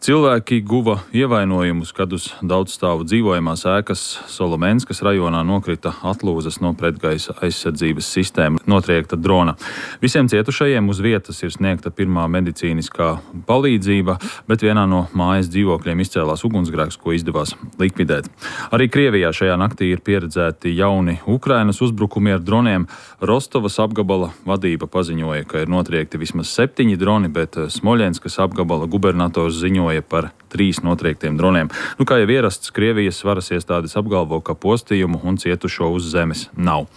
Cilvēki guva ievainojumus, kad uz daudzstāvu dzīvojamās ēkas Solomenskas rajonā nokrita atlūzas no pretgaisa aizsardzības sistēma notriekta drona. Visiem cietušajiem uz vietas ir sniegta pirmā medicīniskā palīdzība, bet vienā no mājas dzīvokļiem izcēlās ugunsgrēks, ko izdevās likvidēt. Arī Krievijā šajā naktī ir pieredzēti jauni Ukrainas uzbrukumi ar droniem. Rostovas apgabala vadība paziņoja, ka ir notriekti vismaz 7 droni, bet Smoļenskas apgabala gubernators ziņoja par 3 notriektiem droniem. Kā jau ierasts, Krievijas varas iestādes apgalvo, ka postījumu un cietušo uz zemes nav.